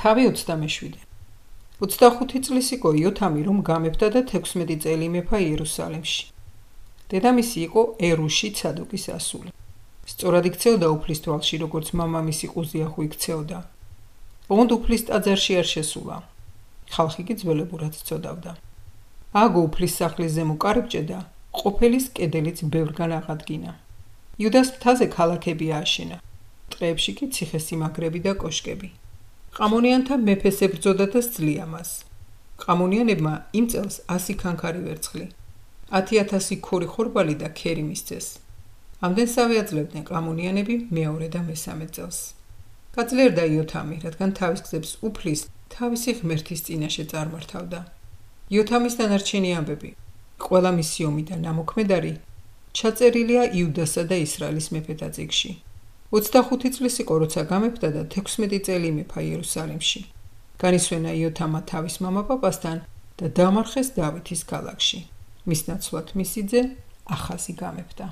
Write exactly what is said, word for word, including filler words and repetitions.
თავი ოცდამეშვიდე. ოცდახუთი წლის იყო იოთამი, რომ გამეფდა და თექვსმეტი წელი იმეფა იერუსალიმში. დედამისი იყო ერუში ცადოკის ასული. სწორად იქცეოდა უფლის თვალში, როგორც მამამისი ყუზიახუ იქცეოდა. ბონდ უფლის ტაძარში არ შესულა. ხალხი კი ძველებურად წოდავდა. აგო უფლის სახლის ზემო კარიბჭე და ყოფილის კედელიც ბევრგან აღადგინა. იუდას მთაზე ქალაქები ააშენა. ტყეებში კი ციხესიმაგრები და კოშკები. ყამონიანთა მეფეს ებრძოდა და სძლია მას. ყამონიანებმა იმ წელს ასი ქანქარი ვერცხლი, ათი ათასი ქორი ხორბალი და ქერი მისცეს. ამდენსავე აძლევდნენ ყამონიანები მეორე და მესამე წელს. გაძლიერდა იოთამი, რადგან თავის გზებს უფლის თავისი ღმერთის წინაშე წარმართავდა. იოთამის დანარჩენი ამბები, ყველა მისი ომი და ნამოქმედარი ჩაწერილია იუდასა და ისრაელის მეფეთა წიგნში. ოცდახუთი წლის იყო, როცა გამეფდა და თექვსმეტი წელი იმეფა იერუსალიმში. განისვენა იოთამა თავის მამაპაპასთან და დამარხეს დავითის ქალაქში. მის ნაცვლად მისი ძე ახაზი გამეფდა.